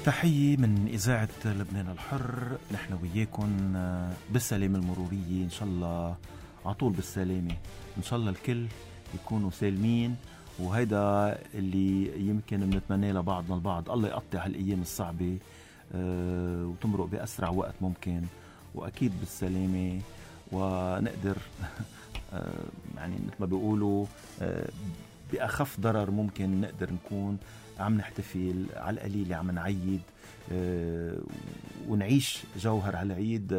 تحية من إذاعة لبنان الحر. نحن وياكم بالسلامة المرورية إن شاء الله، عطول بالسلامة إن شاء الله الكل يكونوا سالمين. وهيدا اللي يمكن بنتمنى لبعضنا البعض، الله يقطع هالأيام الصعبة وتمرق بأسرع وقت ممكن، وأكيد بالسلامة، ونقدر يعني مثل ما بيقولوا بأخف ضرر ممكن نقدر نكون عم نحتفل على القليل، عم نعيد ونعيش جوهر هالعيد.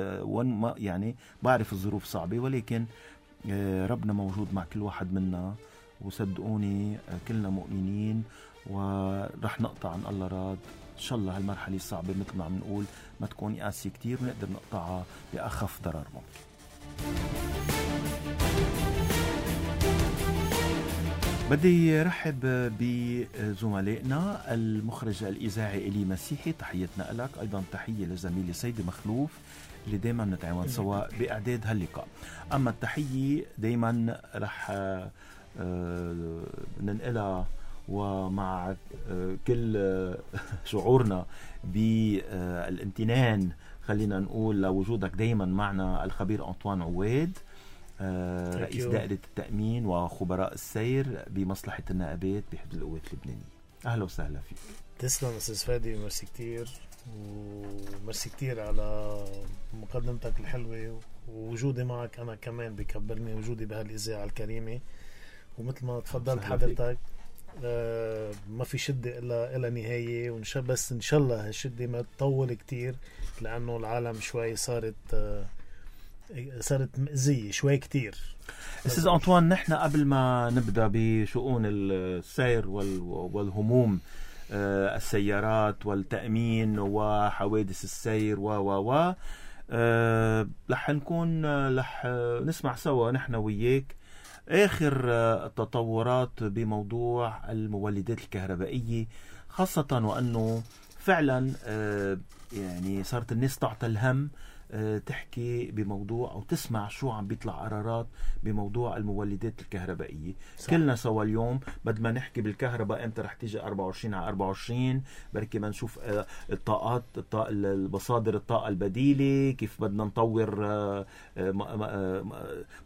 يعني بعرف الظروف صعبة، ولكن ربنا موجود مع كل واحد منا، وصدقوني كلنا مؤمنين ورح نقطع عن الله راد. إن شاء الله هالمرحلة الصعبة مثل ما عم نقول ما تكون قاسية كتير، ونقدر نقطعها بأخف ضرر ممكن. بدي رحب بزملائنا. المخرج الإذاعي إلي مسيحي، تحياتنا لك. أيضا تحية لزميلي سيدي مخلوف اللي دايما نتعاون سوا بإعداد هاللقاء. أما التحية دايما رح ننقلها ومع كل شعورنا بالامتنان، خلينا نقول لوجودك دايما معنا، الخبير أنطوان عواد، رئيس دائرة التأمين وخبراء السير بمصلحة النائبات بحزب القوات اللبنانية. أهلا وسهلا فيك. تسلم أستاذ فادي، مرسي كتير، ومرسي كتير على مقدمتك الحلوة، ووجودي معك أنا كمان بيكبرني وجودي بهالإذاعة الكريمة. ومثل ما تفضلت حضرتك ما في شدة إلا نهاية، بس إن شاء الله هالشدة ما تطول كتير، لأنه العالم شوي صارت مأزية شوي كتير. أستاذ أنطوان، نحن قبل ما نبدأ بشؤون السير والهموم، السيارات والتأمين وحوادث السير رح نسمع سوا نحن وياك آخر التطورات بموضوع المولدات الكهربائية، خاصة وأنه فعلا يعني صارت الناس تعطى الهم تحكي بموضوع أو تسمع شو عم بيطلع قرارات بموضوع المولدات الكهربائية. صح. كلنا سوا اليوم بدنا ما نحكي بالكهرباء امتى رح تيجي 24 على 24، بركي ما نشوف المصادر الطاقة البديلة، كيف بدنا نطور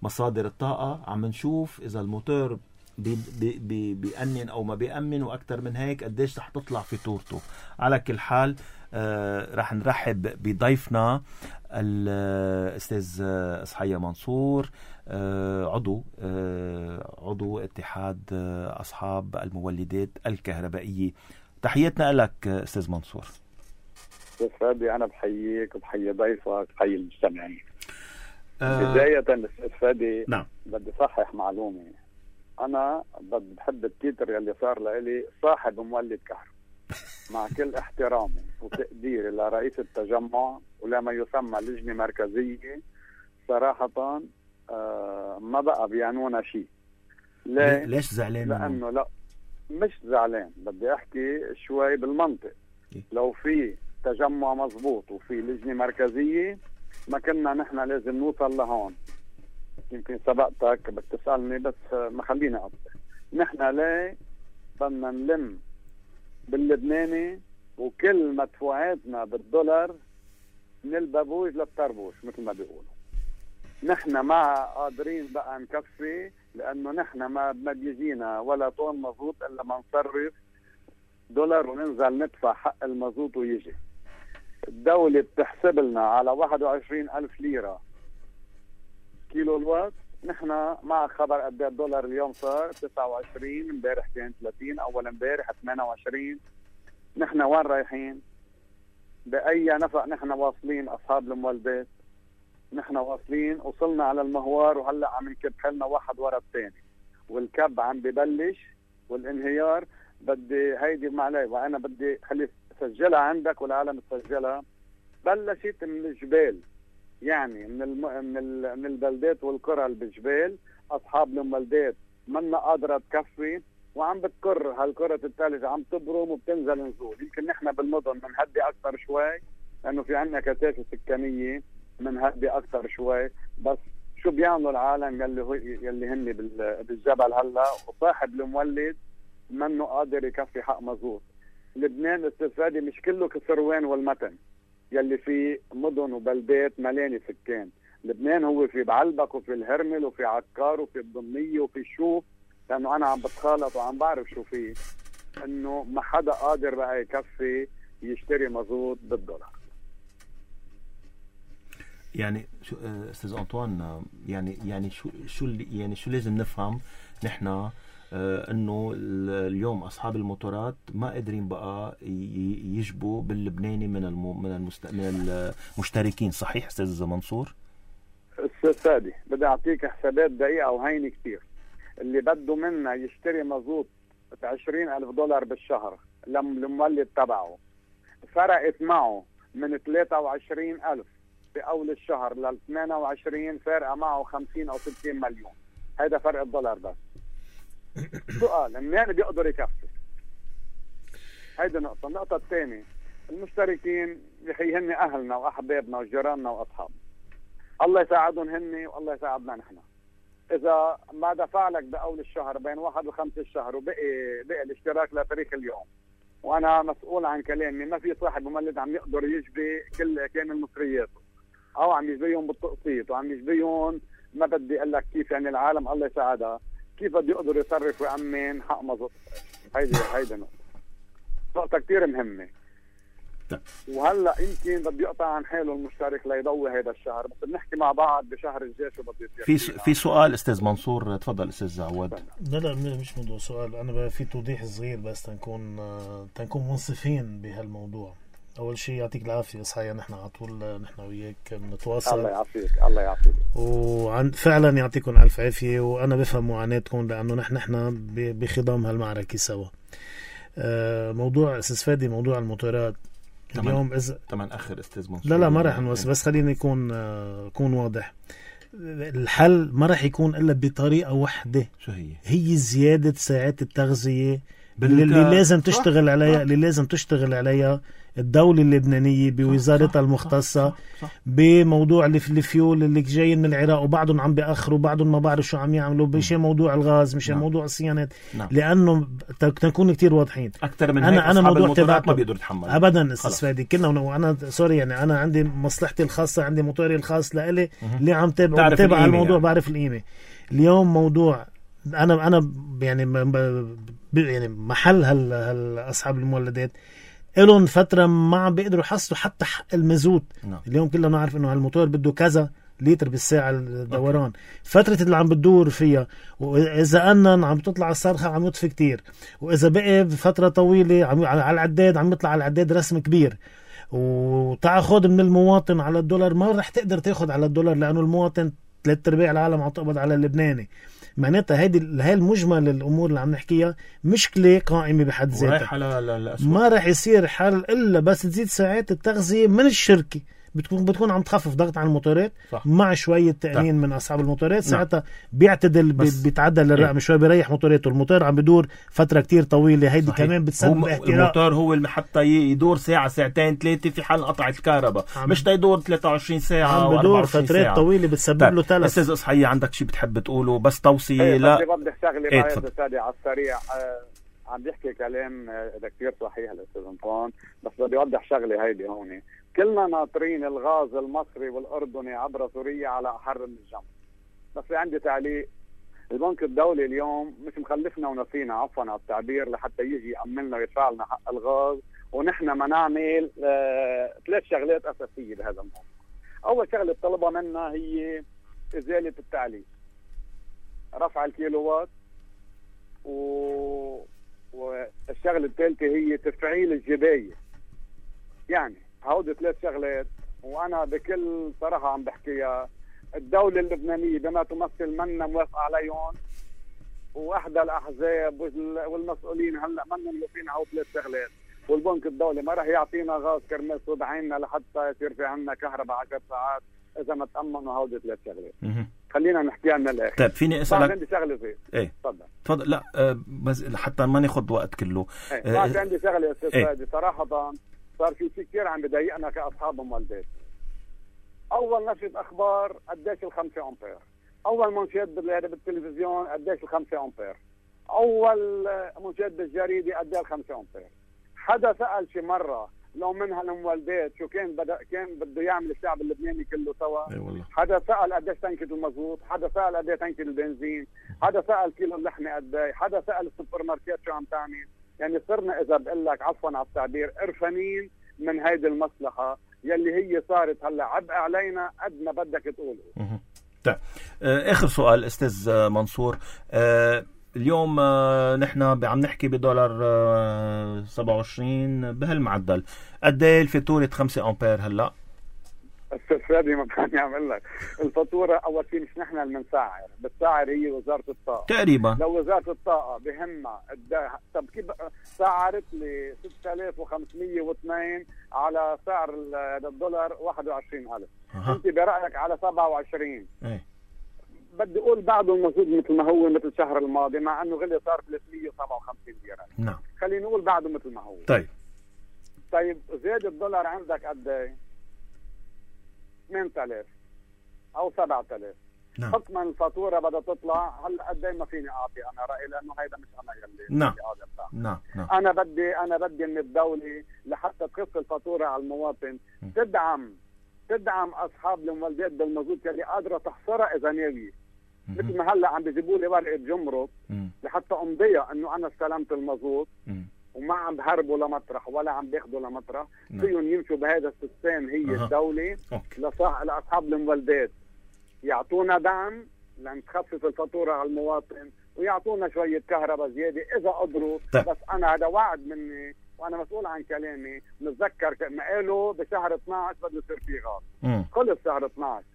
مصادر الطاقة. عم نشوف إذا الموتور بيأمن أو ما بيأمن، وأكتر من هيك قديش رح تطلع فاتورته. على كل حال رح نرحب بضيفنا الأستاذ إصحية منصور، عضو اتحاد أصحاب المولدات الكهربائية. تحياتنا لك أستاذ منصور. أستاذ فادي، أنا بحييك وبحيي ضيفك وبحيي المستمعين. بداية أستاذ فادي، نعم، بدي صحح معلومة. أنا بحب التيتر اللي صار لي صاحب مولد كهرباء، مع كل احترامي وتقديري لرئيس التجمع ولما يسمى لجنة مركزية. صراحة ما بقى بيعنونا شيء. ليش زعلان؟ لأنه لا، مش زعلان، بدي أحكي شوي بالمنطق. لو في تجمع مزبوط وفي لجنة مركزية ما كنا نحن لازم نوصل لهون. يمكن سبقتك بتسألني، بس ما خليني أقطع. نحن ليه بدنا نلم باللبناني وكل مدفوعاتنا بالدولار من البابوج للطربوش مثل ما بيقولوا؟ نحن ما قادرين بقى نكفي، لأنه نحن ما بيجينا ولا طن مزوط إلا ما نصرف دولار وننزل ندفع حق المزوط ويجي. الدولة بتحسب لنا على 21,000 ليرة كيلو الوات. نحن مع خبر قد الدولار اليوم صار 29، امبارح كان 30، اول امبارح 28. نحن وين رايحين؟ بأي نفق نحن واصلين أصحاب المولدات؟ نحن واصلين، وصلنا على المهوار وهلا عم نكب حالنا واحد ورا الثاني، والكب عم ببلش والانهيار. بدي هيدي معلي، وانا بدي خلي سجلها عندك والعالم تسجلها. بلشت من الجبال، يعني من البلدات والقرى اللي بالجبال. اصحاب المولدات منا قادره تكفي، وعم بتكر هالكرة الثلج، عم تبرم وبتنزل نزول. يمكن نحن بالمدن منهدي اكثر شوي لانه في عندنا كثافه سكانيه، منهدي اكثر شوي. بس شو بيعملوا العالم يلي هن بالجبل هلا، وصاحب المولد منه قادر يكفي حق مزوط. لبنان استفادي مش كله كسروان والمتن يلي في مدن وبلدات ملاني سكان. لبنان هو في بعلبك وفي الهرمل وفي عكار وفي الضمية وفي الشوف، لأنه أنا عم بتخالط وعم بعرف شو فيه، إنه ما حدا قادر بقى يكفي يشتري مازوت بالدولار. يعني شو استاذ انطوان، يعني شو لازم نفهم نحن، انه اليوم اصحاب الموتورات ما قادرين بقى يجبوا باللبناني من المشتركين، صحيح استاذ منصور؟ استاذ فادي بدي اعطيك حسابات دقيقه وهينه كتير. اللي بده منا يشتري مازوت $20,000 بالشهر للمولد تبعه، فرقت معه من 23,000 في اول الشهر ل 28 فارقه معه 50 أو 60 مليون. هذا فرق الدولار بس. سؤال منين بيقدر يكفي؟ هيدي نقطة. النقطة الثانية، المشتركين يخي هن أهلنا وأحبابنا وجيراننا وأصحابنا، الله يساعدهم هن والله يساعدنا نحن. إذا ما دفع لك بأول الشهر بين 1 و5 الشهر وبقي الاشتراك لتاريخ اليوم، وأنا مسؤول عن كلامي، ما في صاحب مولد عم يقدر يجبي كامل مصرياته، أو عم يجبيهم بالتقسيط وعم يجبيهم، ما بدي أقول لك كيف، يعني العالم الله يساعدها كيف بده يقدر يصرف ويأمن حق مازوت. هيدي نقطة كتير مهمة. وهلا يمكن بده يقطع عن حاله المشترك ليضوي هذا الشهر، بس بنحكي مع بعض بشهر الجاي شو بده يصير. في سؤال استاذ منصور، تفضل استاذ عواد. لا مش موضوع سؤال، انا في توضيح صغير بس تنكون منصفين بهالموضوع. اول شيء يعطيك العافيه صحيح، نحن على طول نحن وياك بنتواصل. الله يعافيك. الله يعافيك. فعلا يعطيكم الف عافيه، وانا بفهم معاناتكم لانه نحن بخضام هالمعركه سوا. موضوع استاذ فادي، موضوع الموتورات اليوم طبعا اخر استاذ منصور. لا ما راح نوصل، بس خليني يكون واضح. الحل ما راح يكون الا بطريقه واحده، شو هي زياده ساعات التغذيه اللي لازم تشتغل عليها، اللي لازم تشتغل عليها الدولة اللبنانية بوزارتها المختصة. بموضوع الفيول اللي جايين من العراق وبعضهم عم بيأخروا، بعضهم ما بعرف شو عم يعملوا، مشان موضوع الغاز، مشان موضوع الصيانات. لأنه تكون كتير واضحين. أكتر من هيك أصحاب الموتورات ما بيقدروا يتحملوا أبدا. استاذ فادي كلنا، وأنا سوري يعني أنا عندي مصلحتي الخاصة، عندي موتوري الخاص لإلي اللي عم تابع الموضوع يعني. بعرف القيمة. اليوم موضوع أنا يعني محل أصحاب المولدات إلهم فترة ما عم بيقدروا يحصلوا حتى حق المازوت. اليوم كلنا نعرف إنه هالموتور بده كذا لتر بالساعة الدوران. فترة اللي عم بتدور فيها، وإذا أنن عم تطلع الصرخة عم يطفي كتير، وإذا بقي بفترة طويلة على العداد عم يطلع على العداد رسم كبير، وتاخذ من المواطن على الدولار. ما رح تقدر تاخذ على الدولار لأنه المواطن 3/4 العالم عم تقبض على اللبناني. معناتها هاي المجمل الأمور اللي عم نحكيها مشكلة قائمة بحد ذاتها، ما رح يصير حل إلا بس تزيد ساعات التغذية من الشركة. بتكون عم تخفف ضغط على الموتورات، صح. مع شوية تأمين من أصحاب الموتورات، ساعتها بيعتدل، بيتعدل الرقم شوي، بيريح موتوراته. الموتور عم بدور فترة كتير طويلة، هيدي صحيح. كمان بتسبب احتراق. الموتور هو اللي حتى يدور ساعة ساعتين 3 في حال قطع الكهرباء، مش تيدور 23 ساعة عم بدور فترات طويلة بتسبب له تلف. أستاذ إصحية، عندك شيء بتحب تقوله؟ بس توصية. لا بدي شغلة معي على السريع. عم بيحكي كلام كتير صحيح الأستاذ أنطوان، بس بدي أوضح شغلة هيدي هون. كلنا ناطرين الغاز المصري والأردني عبر سوريا على أحر من الجمر. بس عندي تعليق. البنك الدولي اليوم مش مخلفنا ونسينا، عفوا على التعبير، لحتى يجي يأملنا ويدفع لنا حق الغاز، ونحن ما نعمل 3 شغلات أساسية بهذا الموضوع. أول شغلة طلبها منا هي إزالة التعليق، رفع الكيلووات، والشغلة الثالثة هي تفعيل الجباية. يعني هودي 3 شغلات، وانا بكل صراحه عم بحكيها. الدوله اللبنانيه بما تمثل منا موافقه عليهم، واحدى الاحزاب والمسؤولين هلا منا موافقين على 3 شغلات، والبنك الدولي ما راح يعطينا غاز كرمال صوب عيننا لحتى يصير في عندنا كهرباء 10 ساعات اذا ما تامنوا هودي 3 شغلات. خلينا نحكيها من الاخر. طيب فيني اسالك؟ عندي شغله زي ايه تفضل. لا بس حتى ما ناخذ وقت كله. عندي شغله يا استاذ فادي. صراحه صار في شيء كثير عم بضايقنا كأصحاب مولدات. أول نشرة أخبار قديش 5 أمبير، أول منشد بالتلفزيون قديش 5 أمبير، أول منشد بالجريدة قديش 5 أمبير. حدا سأل شي مرة لو من هالمولدات شو كان بده يعمل الشعب اللبناني كله سوا؟ اي والله. حدا سأل قديش تنكة المزبوط؟ حدا سأل قديش تنكة البنزين؟ حدا سأل كيلو اللحمة قديه؟ حدا سأل السوبر ماركت شو عم تعمل؟ يعني صرنا إذا بقول لك عفوا على التعبير قرفانين من هيدي المصلحة يلي هي صارت هلا عبء علينا قد ما بدك تقوله. طيب آخر سؤال أستاذ منصور. اليوم نحن عم نحكي بدولار 27 بهالمعدل. قد ايه الفاتورة 5 أمبير هلا؟ استاذ فادي ما كان يعمل لك الفاتورة. أول شيء مش نحن اللي بنسعر، بتسعر هي وزارة الطاقة تقريبا. لو وزارة الطاقة بهمها طب كيف سعرت لي 6502 على سعر الدولار 21,000. انت برأيك على 27. بدي اقول بعده المزود مثل ما هو مثل الشهر الماضي، مع انه غلي صار 357 ليرة. نعم. خلينا نقول بعده مثل ما هو. طيب زاد الدولار عندك قد ايه؟ 8000 او 7000. نعم. حكما الفاتوره بدها تطلع. هلا قد ايه ما فيني اعطي انا رايي، لانه هيدا مش انا يلي. نعم. نعم. انا بدي من الدوله لحتى تخف الفاتوره على المواطن تدعم اصحاب المولدات بالمزود اللي قادره تحصرها اذا ناويه. مثل ما هلا عم بيجيبوا لي ورقه جمرك لحتى امضيها انه انا استلمت المزود وما عم بهربوا لمطرح ولا عم بياخذوا لمطرح. فيهم يمشوا بهذا السيستم. هي الدوله لاصحاب المولدات يعطونا دعم لان تخفف الفاتوره على المواطن ويعطونا شويه كهرباء زياده اذا قدروا. بس انا هذا وعد مني وانا مسؤول عن كلامي. نتذكر ما قالوا بشهر 12 بده يصير في غاز. خلص شهر 12.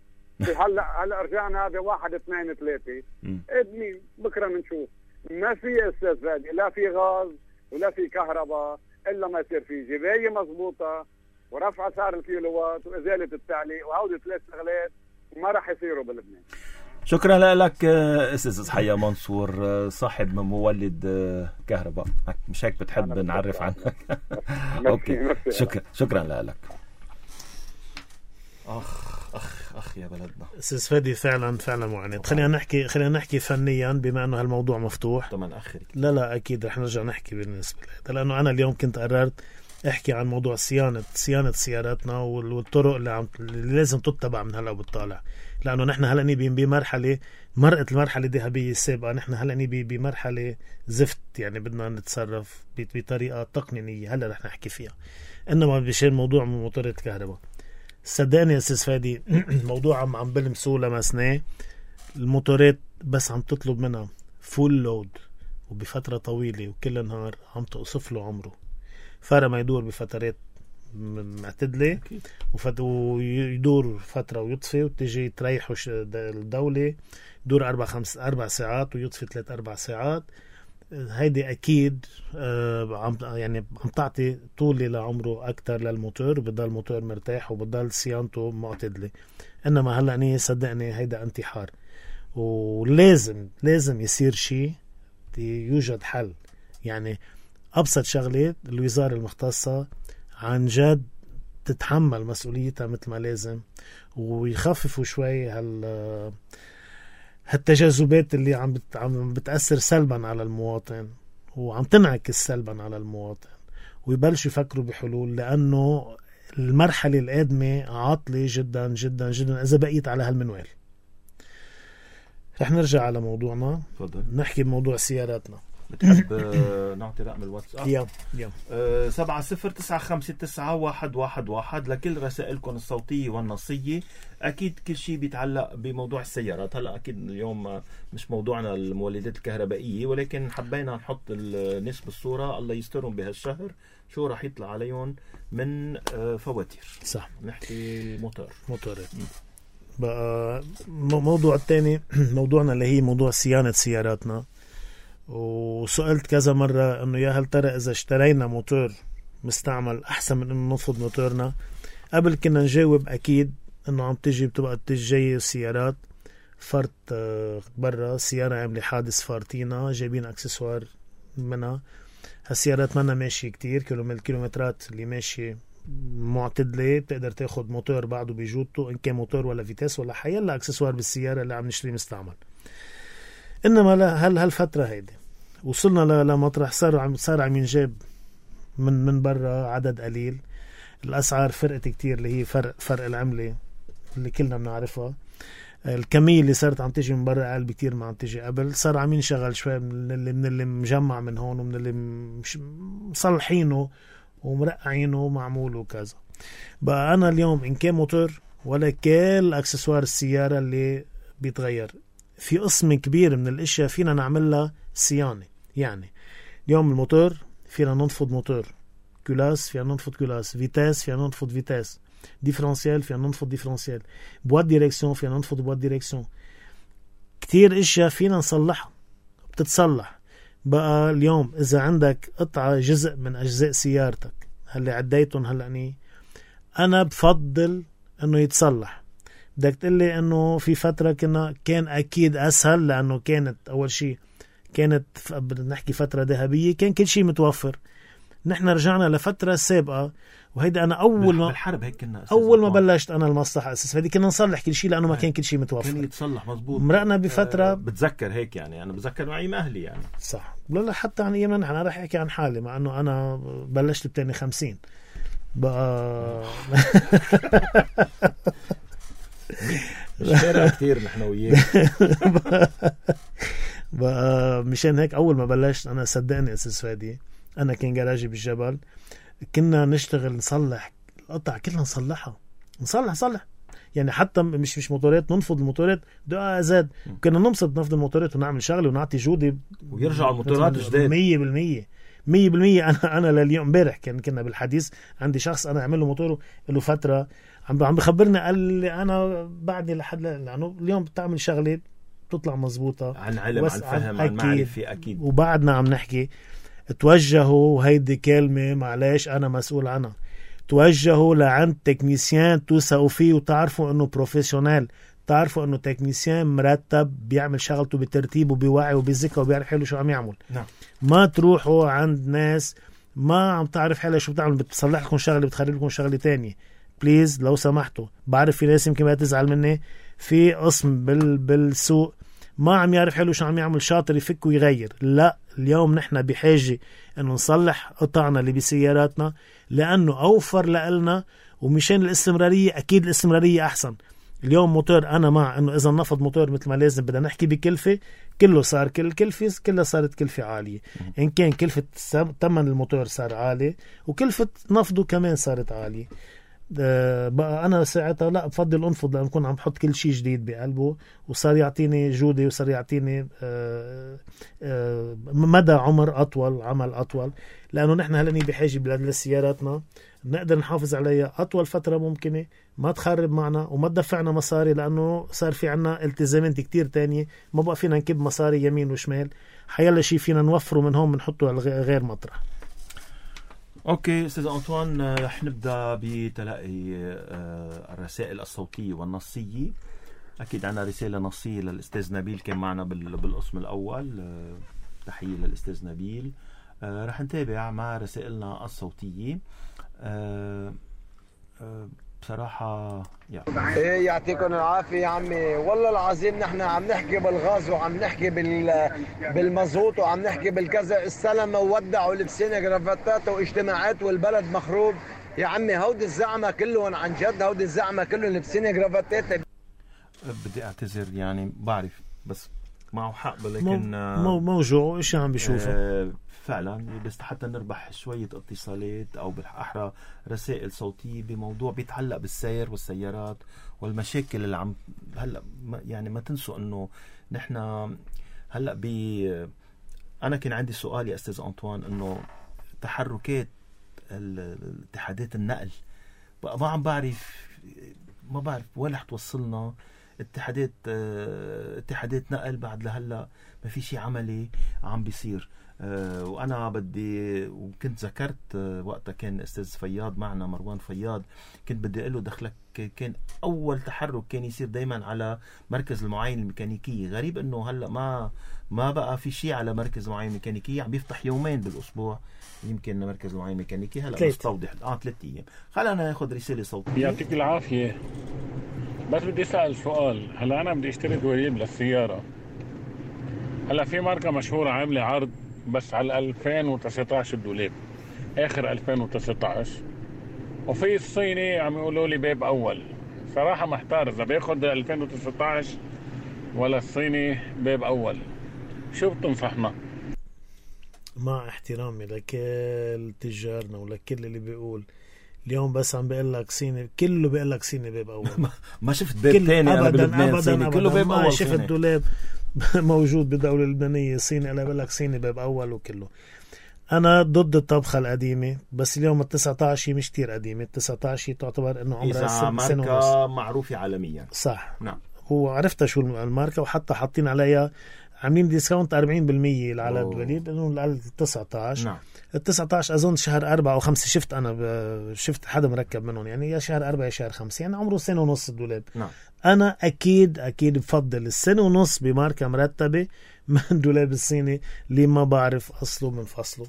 هلا رجعنا ب1 2 3. ابني بكره بنشوف. ما في استاذ فادي لا في غاز ولا في كهرباء الا ما يصير في جبايه مضبوطه ورفع سعر الكيلووات وازاله التعليق، وهودي 3 شغلات ما راح يصيروا بلبنان. شكرا لك استاذ حيا منصور، صاحب مولد كهرباء. مش هيك بتحب نعرف عنك؟ اوكي. شكرا لك. اخ يا بلدنا. استاذ فادي فعلا معاند. خلينا نحكي فنيا بما انه هالموضوع مفتوح. طبعا اخر. لا اكيد رح نرجع نحكي بالنسبه لهذا، لانه انا اليوم كنت قررت احكي عن موضوع صيانه سياراتنا والطرق اللي لازم تتبع من هلا وبالطالع. لانه نحن هلا نبي بمرحله مرقت المرحله الذهبيه السابقه، نحن هلا نبي بمرحله زفت. يعني بدنا نتصرف بطريقه تقنينيه هلا رح نحكي فيها. انما بشان موضوع من موتورات الكهرباء صدقني يا استاذ فادي الموضوع عم بلمسوه لمسناه. الموتورات بس عم تطلب منها فول لود وبفتره طويله وكل النهار عم تقصف له عمره. فرق ما يدور بفترات معتدله ويدور فتره ويطفي وتجي تريحه الدوله يدور 4 ساعات ويطفي 3-4 ساعات. هيدي اكيد عم تعطي طولة لعمره اكتر للموتور، وبضل الموتور مرتاح وبضل صيانته معتدله. انما هلا صدقني هيدا انتحار، ولازم يصير شيء، يوجد حل. يعني ابسط شغله الوزاره المختصه عن جد تتحمل مسؤوليتها مثل ما لازم، ويخففوا شوي هالتجاذبات اللي عم بتأثر سلبا على المواطن وعم تنعكس سلبا على المواطن، ويبلشوا يفكروا بحلول. لأنه المرحلة القادمة عاطلة جدا جدا جدا إذا بقيت على هالمنوال. رح نرجع على موضوعنا. فضل. نحكي بموضوع سياراتنا. بتحب نعطي رقم الواتساب؟ يلا 70-991-111 لكل رسائلكم الصوتية والنصية. أكيد كل شيء بيتعلق بموضوع السيارات. هلأ أكيد اليوم مش موضوعنا المولدات الكهربائية، ولكن حبينا نحط الناس بالصورة. الله يسترهم بهالشهر شو راح يطلع عليهم من فواتير. صح. نحكي موتورات. بقى موضوع الثاني موضوعنا اللي هي موضوع صيانة سياراتنا. وسألت كذا مرة انه يا هل ترى اذا اشترينا موتور مستعمل احسن من انه نفض موتورنا؟ قبل كنا نجاوب اكيد انه عم بتبقى جاي سيارات فرط برا، سيارة عملي حادث فارتينا جايبين اكسسوار منها. هالسيارات منا ماشي كتير كيلومترات اللي ماشي معتدلة، بتقدر تاخد موتور بعده بجودته ان كان موتور ولا فيتاس ولا حيلا اكسسوار بالسيارة اللي عم نشتري مستعمل. انما هالفترة هيدي وصلنا لمطرح صار عم ينجاب من برا عدد قليل. الأسعار فرقت كتير اللي هي فرق العملة اللي كلنا بنعرفها. الكمية اللي صارت عم تيجي من برا أقل بكتير ما عم تيجي قبل. صار عم ينشغل شوي من اللي مجمع من هون ومن اللي مصلحينه ومرقعينه ومعمول وكذا. بقى أنا اليوم إن كان موتور ولا كل أكسسوار السيارة اللي بيتغير، في قسم كبير من الاشياء فينا نعملها صيانة. يعني اليوم الموتور فينا ننفض موتور، كلاس فينا ننفض كلاس، فيتاس فينا ننفض فيتاس، ديفرنسيال فينا ننفض ديفرنسيال، بواد ديريكسيون فينا ننفض بواد ديريكسيون. كتير اشياء فينا نصلحها بتتصلح. بقى اليوم اذا عندك قطعة جزء من اجزاء سيارتك هل عديتهم هلأ انا بفضل انه يتصلح. بدك تقلي انه في فترة كان اكيد اسهل لانه كانت اول شيء كانت نحكي فترة ذهبية، كان كل شيء متوفر. نحن رجعنا لفترة سابقة، وهيدا انا اول ما بلشت انا المصلحة اساس فدي كنا نصلح كل شيء لانه ما كان كل شيء متوفر، كان يتصلح مزبوط. مرقنا بفترة بتذكر هيك يعني انا بتذكر معي اهلي يعني صح. لا حتى عن ايامنا نحن، انا رح احكي عن حالي مع انه انا بلشت بتاني 50 بقى مش فارق كتير نحن وياك. بقى مشان هيك اول ما بلشت انا صدقني اساس فادي انا كان جراجي بالجبل، كنا نشتغل نصلح القطع كلها نصلح يعني حتى مش موتورات، ننفض الموتورات دقائق زاد، كنا نفض الموتورات ونعمل شغله ونعطي جودة ويرجعوا الموتورات جداد 100%. انا لليوم امبارح كنا بالحديث عندي شخص انا اعمل له موتوره له فتره عم بخبرني قال لي انا بعدني لحد لانه اليوم بتعمل شغله بتطلع مزبوطه عن علم عن فهم عن معرفه اكيد. وبعدنا عم نحكي توجهوا، وهيدي كلمه معلش انا مسؤول عنها، توجهوا لعند تكنيسيان توثقوا فيه وتعرفوا انه بروفيشنال، تعرفوا انه تكنيسيان مرتب بيعمل شغلته بترتيب وبيوعي وبيذكر وبيعرف حاله شو عم يعمل. نعم. ما تروحوا عند ناس ما عم تعرف حالها شو بتعمل، بتصلح لكم شغله بتخرب لكم شغله تانية. بليز لو سمحتوا، بعرف في ناس يمكن ما تزعل مني، في قسم بالسوق ما عم يعرف حاله شو عم يعمل، شاطر يفك ويغير. لا، اليوم نحن بحاجه انه نصلح قطعنا اللي بسياراتنا لانه اوفر لنا، ومشان الاستمراريه اكيد الاستمراريه احسن. اليوم موتور انا مع انه اذا نفض موتور مثل ما لازم بدنا نحكي بكلفه، كله صار كلفه كلها صارت كلفه عاليه. ان كان كلفه ثمن الموتور صار عالي وكلفه نفضه كمان صارت عاليه. بقى انا ساعتها لا بفضل انفض لان كنت عم بحط كل شيء جديد بقلبه، وصار يعطيني جوده وصار يعطيني مدى عمر اطول، عمل اطول، لانه نحن هلا بحاجه لسياراتنا نقدر نحافظ عليها اطول فتره ممكنه، ما تخرب معنا وما تدفعنا مصاري، لانه صار في عنا التزامات كتير تانية، ما بقى فينا نكب مصاري يمين وشمال، حيلا شيء فينا نوفره من هون بنحطه على غير مطرح. اوكي استاذ انطوان، رح نبدا بتلقي الرسائل الصوتيه والنصيه. اكيد عنا رساله نصيه للاستاذ نبيل كان معنا بالقسم الاول، تحيه للاستاذ نبيل. رح نتابع مع رسائلنا الصوتيه. بصراحة ايه يعطيكم العافية يا عمي، والله العظيم نحن عم نحكي بالغاز وعم نحكي بالمزوط وعم نحكي بالكذا، السلامة وودعوا لبسين جرافاتات واجتماعات والبلد مخروب يا عمي. هودي الزعمة كلهم عن جد، هودي الزعمة كلهم لبسين جرافاتات. بدي اعتذر يعني بعرف بس معه حق، لكن موجوع ايش عم بيشوفه فعلا، بس حتى نربح شوية اتصالات أو بالأحرى رسائل صوتية بموضوع بيتعلق بالسير والسيارات والمشاكل اللي عم هلأ. يعني ما تنسوا أنه نحن هلأ أنا كان عندي سؤال يا أستاذ أنطوان، أنه تحركات اتحادات النقل بقى ما بعرف وين رح توصلنا. اتحادات نقل بعد لهلا ما في شيء عملي عم بيصير. وانا بدي، وكنت ذكرت وقتها كان استاذ فياض معنا، مروان فياض، كنت بدي اقول له دخلك كان اول تحرك كان يصير دايما على مركز المعاينه الميكانيكيه. غريب انه هلا ما بقى في شيء على مركز المعاينه الميكانيكيه، عم بيفتح يومين بالاسبوع يمكن مركز المعاينه الميكانيكيه. هلا مستوضح 3 ايام. خلينا ناخذ رساله صوتيه. يعطيك العافيه، بس بدي اسال سؤال. هلا انا بدي اشتري دواليب للسياره. هلا في ماركه مشهوره عامله عرض بس على 2019 الدولاب، آخر 2019، وفي الصيني عم يقولوا لي باب أول. صراحة محتار إذا بياخد 2019 ولا الصيني باب أول. شو بتنصحنا؟ مع احترامي لكل تجارنا ولكل اللي بيقول اليوم بس عم بيقول لك صيني، كله بيقول لك صيني باب أول. ما شفت باب تاني أنا بلبنان صيني، كله باب أول. ما شفت دولاب موجود بالدولة اللبنانية صيني أنا بقول لك صيني باب أول وكله. أنا ضد الطبخة القديمة، بس اليوم 19 مش كتير قديمة. 19 تعتبر إنه عمرها سنة ماركة معروفة عالميا. صح. نعم. هو عرفتها شو الماركة، وحتى حاطين عليها عاملين ديسكاونت 40% على الدوليب إنه ال 19. نعم. ال 19 أظن شهر 4 أو 5 شفت أنا شفت حدا مركب منهم، يعني يا شهر 4 يا شهر 5، يعني عمره سنة ونص الدولاب. نعم. أنا أكيد بفضل السنة ونص بماركة مرتبة من دولاب الصيني اللي ما بعرف أصله من فصله.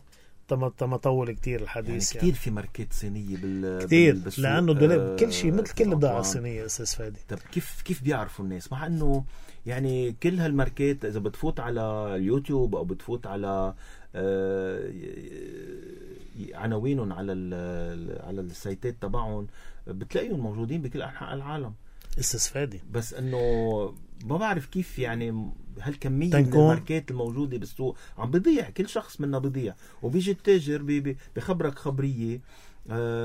تم طول كتير الحديث يعني كتير في ماركات صينية كتير لأنه دولاب كل شيء مثل كل البضاعة الصينية أستاذ فادي. طب كيف بيعرفوا الناس، مع أنه يعني كل هالماركات إذا بتفوت على اليوتيوب أو بتفوت على عناوينهم على السايتات تبعهم بتلاقيهم موجودين بكل أنحاء العالم أستاذ فادي. بس أنه ما بعرف كيف يعني هالكمية من الماركات الموجودة بالسوق عم بيضيع، كل شخص منا بيضيع، وبيجي التاجر بخبرك خبرية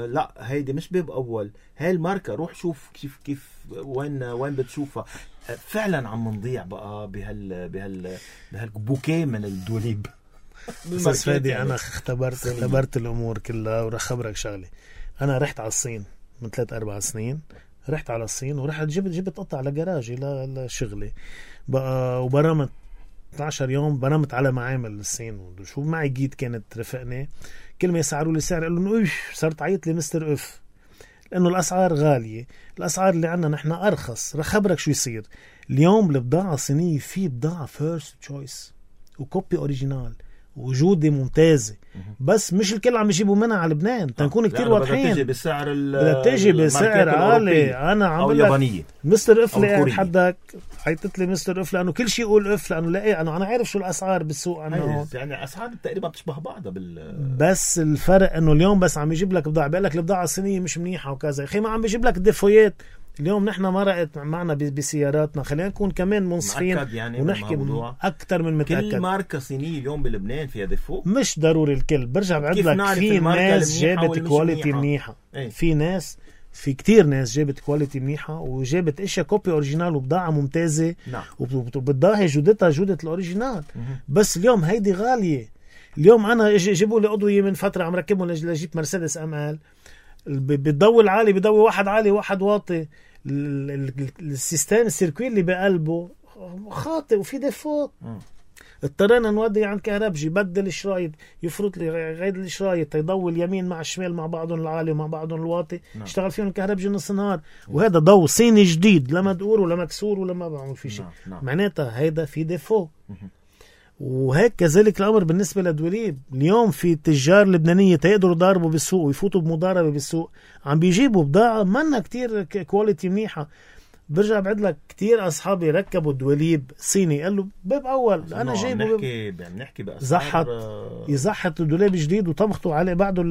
لا هيدي مش باب أول، هاي الماركة روح شوف كيف وين بتشوفها. فعلا عم نضيع بقى بهالبوكيه من الدوليب. أستاذ فادي يعني أنا اختبرت الأمور كلها، ورح خبرك شغلة. أنا رحت على الصين من 3-4 سنين، رحت على الصين ورحت جبت قطع لجراجي لشغلي بقى، وبرمت 12 يوم برمت على معامل الصين. وشو معي جيت كانت رفقني، كل ما يسعروا لي سعر قالوا انه صرت عيط لي مستر اف، لانه الاسعار غاليه. الاسعار اللي عندنا نحن ارخص. رح خبرك شو يصير اليوم. البضاعه الصينيه في بضاعه فيرست تشويس وكوبي اوريجينال وجوده ممتازه، بس مش الكل عم يجيبوا منها على لبنان. تنكون كتير واضحين، بدها تيجي بسعر عالي. انا عم بقول لك مستر اف قاعد حدك عيطت لي مستر اف لانه كل شيء يقول اف، لانه لا انا عارف شو الاسعار بالسوق عنه، يعني اسعار تقريبا بتشبه بعضها بس الفرق انه اليوم بس عم يجيب لك بضاعه بيقول لك البضاعه الصينيه مش منيحه وكذا. اخي ما عم بيجيب لك ديفويات. اليوم نحن مرقت معنا بسياراتنا، خلينا نكون كمان منصفين يعني ونحكي أكتر من متأكد. كل ماركة صينية اليوم بلبنان فيها ديفو، مش ضروري الكل. برجع بعد لك في ناس جابت كواليتي منيحة. في كتير ناس جابت كواليتي منيحة وجابت اشياء كوبي اوريجينال وبضاعة ممتازة. نعم. وبتضاهي جودتها جودة الاوريجينال. بس اليوم هيدي غالية. اليوم انا جيبوا لي أضوية من فترة عم ركبهم لجيب مرسيدس ML، بتضوي العالي بضوي واحد عالي واحد واطي. السيستم السيركوي اللي بقلبه خاطئ وفي ديفوت. اضطرينا نودي عند كهربجي بدل الشرايط، يفرط لي غير الشرايط يضوي اليمين مع الشمال مع بعضهم العالي ومع بعضهم الواطي. اشتغل فيهم الكهربجي نص نهار. وهذا ضوء صيني جديد، لا مدقور ولا مكسور ولا ما بعمل فيه شيء. معناتها هيدا في ديفو. وهيك كذلك الأمر بالنسبة للدوليب. اليوم في تجار لبنانية تقدروا يضاربوا بالسوق ويفوتوا بمضاربة بالسوق، عم بيجيبوا بضاعة منا كتير كواليتي منيحة. برجع بعد لك كتير أصحابي ركبوا الدوليب صيني قالوا باب أول. أنا جايبه بنحكي بأسعار يزحط الدولاب جديد وطبخته عليه بعده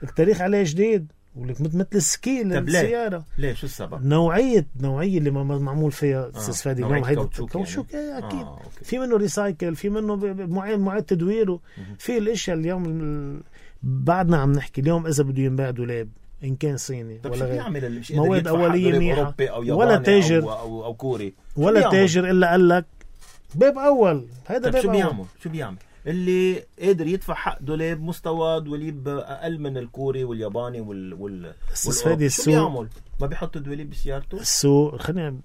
التاريخ عليه جديد، ولك مثل السكي للسيارة. ليه شو السبب؟ نوعية اللي معمول فيها استاذ فادي. نوعية كاوتشوك يعني. أكيد. في منه ريسايكل، في منه معاد تدويره. في الاشياء اليوم بعدنا عم نحكي اليوم إذا بده ينباع دولاب إن كان صيني ولا مواد أولية منيحة ولا تاجر أو كوري ولا تاجر إلا قال لك باب أول. هذا باب أول. شو بيعمل اللي قادر يدفع حق دولاب مستوى دوليب أقل من الكوري والياباني والأوروبي؟ شو بيعمل؟ ما بيحط الدوليب بسيارته؟ السوق خلينا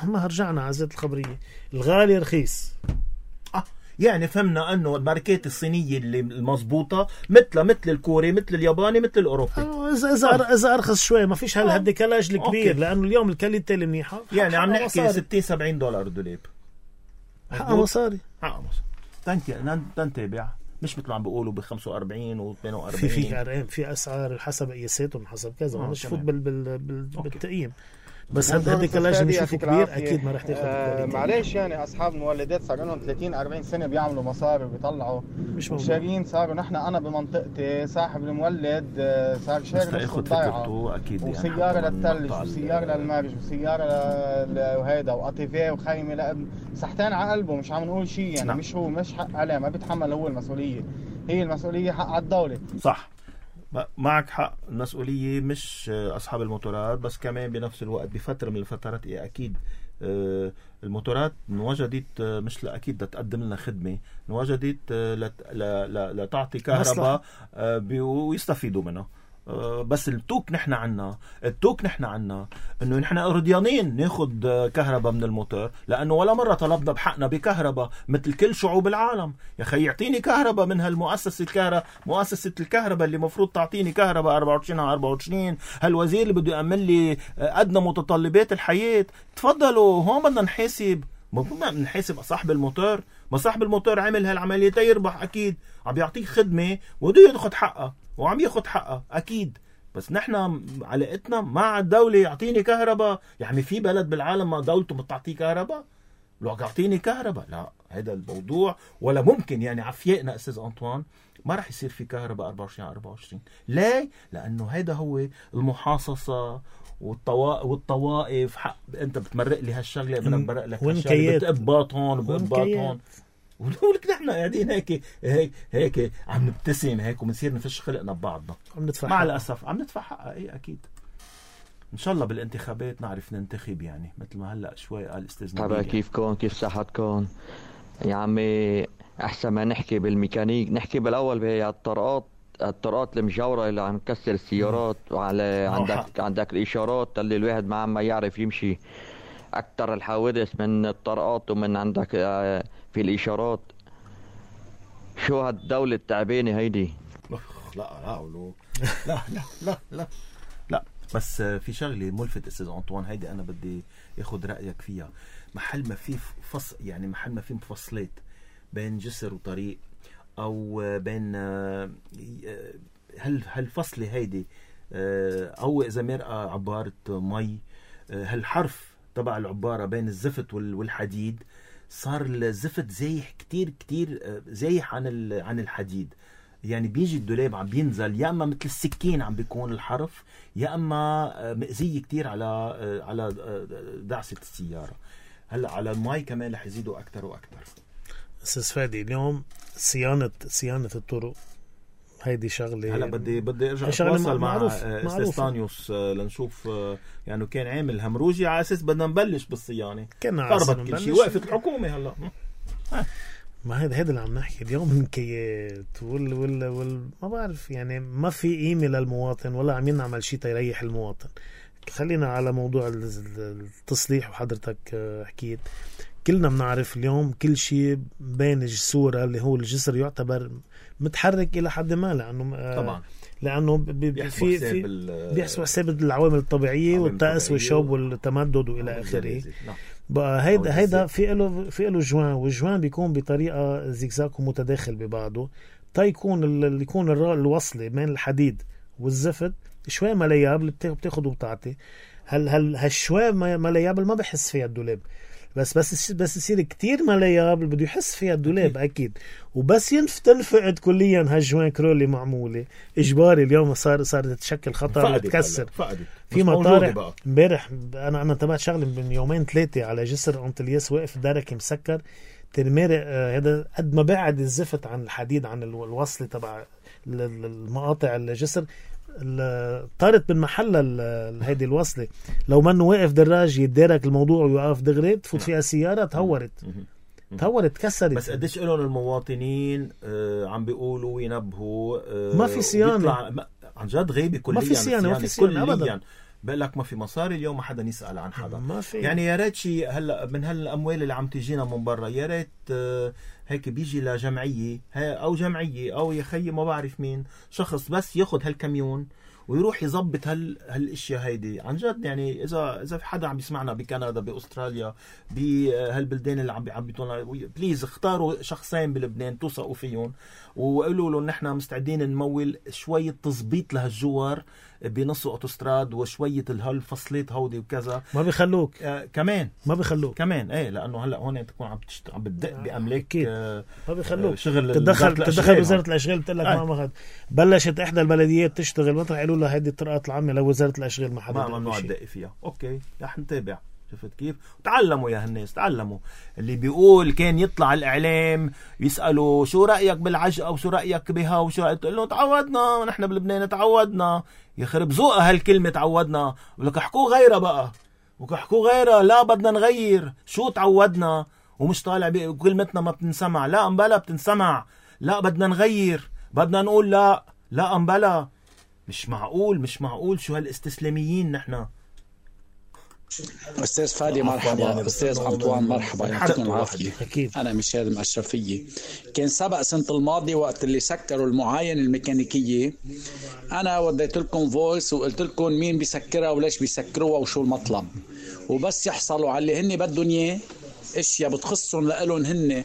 ما رجعنا على زيت الخبرية. الغالي رخيص. يعني فهمنا أنه الماركات الصينية اللي المضبوطة مثل الكوري مثل الياباني مثل الأوروبي. إذا أرخص شوي ما فيش هالديكالاج الكبير. لأنه اليوم الكاليتي اللي منيحة يعني عم نحكي $60-70 دولاب. حقا مصاري. تنتابع مش مثل عم بيقولوا ب45 و42. في أسعار حسب قياساتهم حسب كذا. مش فوت بالتقييم. بس هديك اللاجئ نشوفه كبير اكيد ما رح تاخذ معلش يعني اصحاب المولدات صار لهم 30-40 سنه بيعملوا مصاري وبيطلعوا مش شارين. صاروا انا بمنطقتي صاحب المولد صار شاري نص الضيعه اكيد وسياره للثلج وسياره للمارج وسياره وهيدا وقطيفه وخيمه صحتين على قلبه. مش عم نقول شيء يعني نعم. مش حق عليه، ما بيتحمل هو المسؤوليه، هي المسؤوليه حق على الدوله. صح معك حق، المسؤولية مش أصحاب الموتورات بس كمان بنفس الوقت بفترة من الفترات أكيد الموتورات انوجدت مش أكيد تقدم لنا خدمة، انوجدت لتعطي كهرباء ويستفيدوا منها. بس التوك نحن عنا انه نحن رضيانين ناخد كهرباء من الموتور، لانه ولا مرة طلبنا بحقنا بكهرباء مثل كل شعوب العالم. يا اخي يعطيني كهرباء من مؤسسة الكهرباء اللي مفروض تعطيني كهرباء 24/24. هالوزير اللي بده يعمل لي ادنى متطلبات الحياة. تفضلوا هون بدنا نحاسب صاحب الموتور. ما صاحب الموتور عمل هالعملية يربح اكيد، عم يعطيك خدمة وبده ياخد حقها وعم ياخد حقها اكيد. بس نحن علاقتنا مع الدولة يعطيني كهرباء. يعني في بلد بالعالم ما دولته بتعطيه كهرباء؟ لو يعطيني كهرباء لا، هذا الموضوع ولا ممكن. يعني عفيقنا استاذ أنطوان ما رح يصير في كهرباء 24/24. ليه؟ لانه هذا هو المحاصصة والطوائف. حق انت بتمرق لي هالشغله بدك برق لك هالشغله، بتقباط هون وبقباط هون، ولك نحن قاعدين هيك عم نبتسم هيك وبنصير نفش خلقنا ببعضنا. مع الاسف عم ندفع حقها. اي اكيد ان شاء الله بالانتخابات نعرف ننتخب، يعني مثل ما هلا شوي قال استاذ نبيل. طبعا كيف صحتكم يا عمي؟ احسن ما نحكي بالميكانيك نحكي بالاول الطرقات المجاورة اللي عم تكسر السيارات، وعلى عندك الإشارات اللي الواحد ما عم يعرف يمشي. أكتر الحوادث من الطرقات ومن عندك في الإشارات. شو هالدولة التعبانة هيدي؟ لا بس في شغلة ملفت استاذ أنطوان، هيدي أنا بدي أخذ رأيك فيها. محل ما في مفصلات بين جسر وطريق او بين هالفصلة هيدي، او اذا مرقى عبارة مي، هالحرف تبع العبارة بين الزفت والحديد، صار الزفت زايح كتير زايح عن الحديد. يعني بيجي الدولاب عم بينزل يا اما مثل السكين عم بيكون الحرف، يا اما مأذية كتير على دعسة السيارة. هلا على المي كمان رح يزيدوا اكتر واكتر. استاذ فادي اليوم صيانة الطرق هيدي شغلة. هلا بدي ارجع اتواصل مع استاذ طانيوس لنشوف، يعني كان عامل همروجي على اساس بدنا نبلش بالصيانة. قربت كل شيء، وقفت الحكومة هلا. ما هذا اللي عم نحكي اليوم. النكيات ما بعرف، يعني ما في قيمة للمواطن ولا عم ينعمل شيء تيريح المواطن. خلينا على موضوع التصليح، وحضرتك حكيت كلنا بنعرف اليوم كل شيء بين الصورة اللي هو الجسر يعتبر متحرك إلى حد ما، لأنه طبعا لأنه بيحسبوا حساب العوامل الطبيعية والطقس والشوب والتمدد وإلى آخره. بقى هيدا في له جوان، والجوان بيكون بطريقة زيكزاك ومتداخل ببعضه، يكون الوصلة بين الحديد والزفت شوي مليابل بتاخد وبتعطي. هالشوي مليابل ما بحس فيها الدولاب، بس يصير كتير مليابل بده يحس فيها الدولاب أكيد. وبس تنفقد كليا هالجوان كرولي معمولة إجباري. اليوم صارت تشكل خطر وتكسر. في مطارح امبارح أنا تبعت شغلة من 2-3 على جسر أنطلياس، واقف دركي مسكر ترمارق. هذا قد ما بعد الزفت عن الحديد عن الوصلة تبع المقاطع الجسر، طارت من محل هيدي الوصلة. لو منه واقف دراج يتدارك الموضوع ويوقف دغري، تفوت فيها سيارة تهورت كسرت. بس قديش لهم المواطنين عم بيقولوا وينبهوا ما في صيانة عن جد غيبة كليا. ما في صيانة أبدا. بقول لك ما في مصاري اليوم، ما حدا يسأل عن حدا. ما في. يعني يا ريت شيء هلا من هالاموال اللي عم تجينا من برا، يا ريت هيك بيجي لجمعيه او جمعيه او يخي ما بعرف مين، شخص بس ياخذ هالكاميون ويروح يضبط هالاشياء هيدي عن جد. يعني اذا في حدا عم يسمعنا بكندا، باستراليا، بهالبلدان اللي عم بيطولنا، بليز اختاروا شخصين بلبنان توثقوا فيهم وقولوا له نحن مستعدين نمول شويه تظبيط لهالجوار بنص اوتوستراد وشويه الفصلات هودي وكذا ما بيخلوك كمان ما بيخلوك كمان ايه، لانه هلا هون تكون عم بتدق باملاك ما بيخلوك شغل تدخل وزاره الاشغال بتقول لك ما اخذ. بلشت احدى البلديات تشتغل مطرح قالوا لها هيدي الطرقات العامه لوزاره الاشغال ما حدا ممنوع تدق فيها. اوكي رح نتابع. شفت كيف؟ تعلموا يا هالناس، تعلموا. اللي بيقول كان يطلع الاعلام يسالوا شو رايك بالعجقه وشو رايك بها وشو رايك، تقول له تعودنا نحن بلبنان تعودنا. يخرب ذوقها هالكلمه تعودنا. ولك احكوا غيرها بقى، وكحكوا غيرها. لا بدنا نغير. شو تعودنا ومش طالع بكلمتنا ما بتنسمع. لا امبلا بتنسمع. لا بدنا نغير، بدنا نقول لا امبلا. مش معقول شو هالاستسلاميين نحن. أستاذ فادي مرحبا، أستاذ أنطوان مرحبا، يعطيكم العافية. أنا مشاري المشرفية. كان سبق سنة الماضي وقت اللي سكروا المعاين الميكانيكية، أنا وديت لكم فويس وقلت لكم مين بيسكرها وليش بيسكروها وشو المطلب، وبس يحصلوا على اللي هن بدهم إياه اشياء بتخصهم لإلهم هن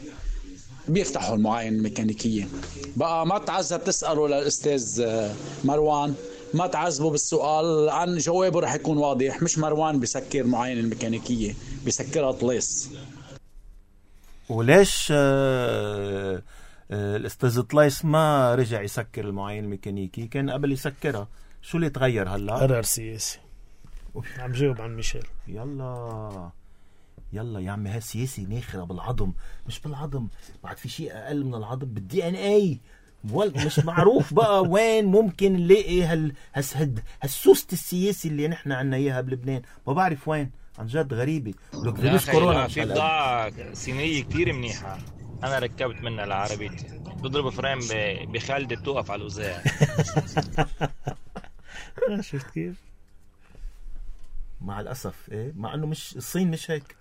بيفتحوا المعاين الميكانيكية. بقى ما تعذب تسألوا للأستاذ مروان، ما تعذبوا بالسؤال، عن جوابه رح يكون واضح. مش مروان بيسكر معاين الميكانيكية، بيسكرها طليس. وليش الأستاذ طليس ما رجع يسكر المعاين الميكانيكي؟ كان قبل يسكرها. شو اللي تغير هلا؟ قرار سياسي. عم جاوب عن ميشيل. يلا يا عمي، هالسياسي ناخرة بالعظم. مش بالعظم، بعد في شيء أقل من العظم، بالدي ان اي. مش معروف بقى وين ممكن نلاقي هالسوست السياسي اللي نحن عنا اياها بلبنان. ما بعرف وين، عن جد غريبة. مش كورونا. في بضاعة صينية كتير منيحة أنا ركبت منها لعربيتي، بضرب فريم بخالدة بتوقف على الوزاع. شفت كيف؟ مع الأسف إيه، مع أنه مش الصين مش هيك،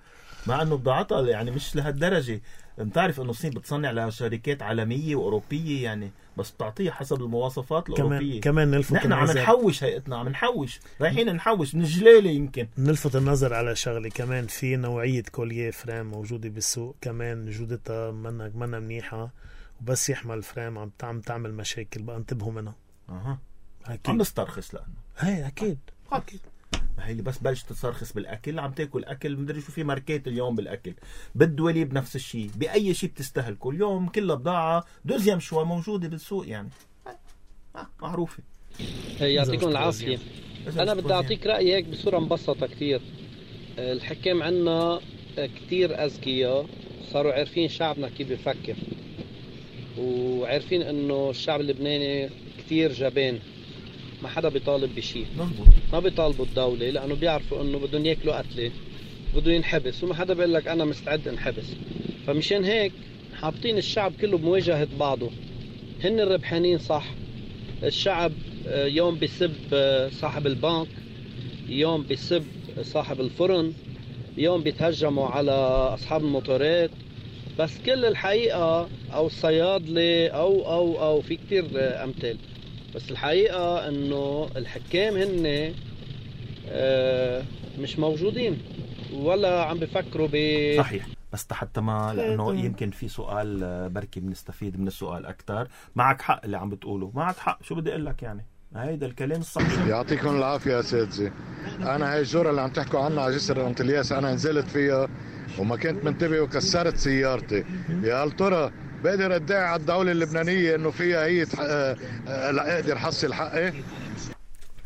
مع أنه بضاعتها يعني مش لهالدرجة. بتعرف أنه الصين بتصنع لشركات عالمية وأوروبية يعني، بس بتعطيها حسب المواصفات الأوروبية. كمان نلفت نحن عم نحوش، هيئتنا عم نحوش، رايحين نحوش من الجلالة. يمكن نلفت النظر على شغلة كمان، في نوعية كوليه فريم موجودة بالسوق كمان جودتها منا منيحة، وبس يحمل فريم عم تعمل مشاكل. بقى انتبهوا منها. عم نسترخص لأنه هي أكيد هي اللي بس بلش تترخص بالاكل. عم تاكل اكل مدري شو، في ماركات اليوم بالاكل، بالدولي بنفس الشيء، باي شيء بتستهلكوا اليوم كلها بضاعه دوزيام شوي موجوده بالسوق يعني، معروفه. يعطيكم العافيه. انا بدي اعطيك رايي هيك بصوره مبسطه كتير. الحكام عنا كتير اذكياء، صاروا عارفين شعبنا كيف بيفكر، وعارفين انه الشعب اللبناني كتير جبان، ما حدا بيطالب بشيء. ما بيطالبوا الدولة لأنه بيعرفوا أنه بدهم يأكلوا قتلة، بدهم ينحبس، وما حدا بيقول لك أنا مستعد انحبس. فمشان هيك حاطين الشعب كله بمواجهة بعضه. هن الربحانين صح. الشعب يوم بيسب صاحب البنك، يوم بيسب صاحب الفرن، يوم بيتهجموا على أصحاب الموتورات، بس كل الحقيقة أو الصيادلة أو في كتير أمثال. بس الحقيقة انه الحكام هن مش موجودين ولا عم بفكروا صحيح. بس حتى ما، لانه يمكن في سؤال بركي بنستفيد من السؤال اكثر. معك حق اللي عم بتقوله، معك حق. شو بدي اقول لك يعني، هيدا الكلام الصحيح. يعطيكم العافية يا اساتذة. انا هاي الجورة اللي عم تحكوا عنها على جسر انطلياس انا نزلت فيها وما كنت منتبه وكسرت سيارتي. يا هل ترى بقدر ادعي على الدولة اللبنانية انه فيها هي لا اقدر حصل حقي؟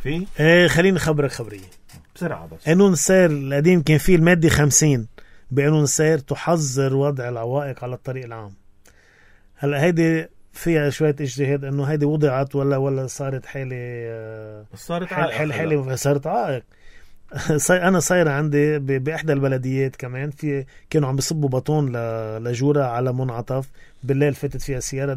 في خليني اخبرك خبرية بسرعة. بس قانون السير القديم كان فيه المادة 50 بقانون السير تحظر وضع العوائق على الطريق العام. هلا هيدي فيها شوية اجتهاد انه هيدي وضعت ولا صارت حالة، صارت عائق. انا صايره عندي باحدى البلديات كمان، في كانوا عم بيصبوا بطون لجوره على منعطف بالليل، فاتت فيها سياره،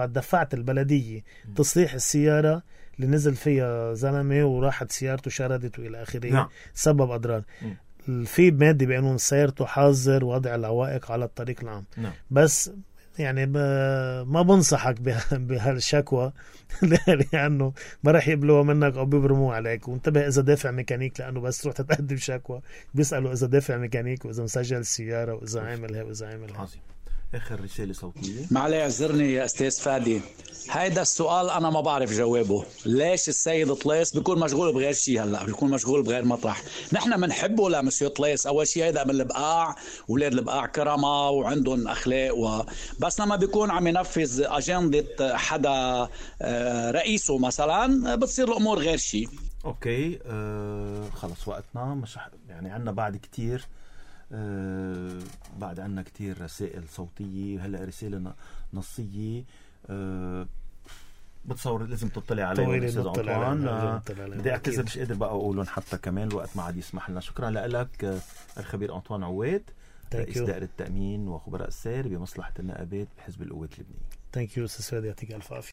دفعت البلديه تصليح السياره اللي نزل فيها زلمه وراحت سيارته شردت والى اخره. سبب اضرار. في ماده بقانون السير تحظر وضع العوائق على الطريق العام. بس يعني ما بنصحك بهالشكوى لأنه ما راح يقبلوها منك أو بيبرموها عليك. وانتبه إذا دافع ميكانيك، لأنه بس تروح تقدم شكوى بيسألوا إذا دافع ميكانيك وإذا مسجل السيارة وإذا عاملها وإذا عاملها. آخر رسالة صوتية. معلي اعذرني يا أستاذ فادي، هيدا السؤال أنا ما بعرف جوابه. ليش السيد طليس بيكون مشغول بغير شيء؟ هلأ بيكون مشغول بغير مطرح. نحن منحبه لمسيو طليس. أول شيء هيدا من البقاع، ولاد البقاع كرمة وعندهم أخلاق بس لما بيكون عم ينفذ أجندة حدا رئيسه مثلا بتصير الأمور غير شيء. أوكي. خلص وقتنا مش يعني عنا بعد كتير. بعد عنا كتير رسائل صوتية، هلأ رسالة نصية. بتصور لازم تطلع عليهم أستاذ أنطوان. بدي أعتذر مش قادر بقى أقولهم حتى كمان الوقت ما عاد يسمح لنا. شكرا لك الخبير أنطوان عواد، رئيس دائرة التأمين وخبراء السير بمصلحة النقابات بحزب القوات اللبنانية. ثانك يو أستاذ فادي، يعطيك ألف عافية.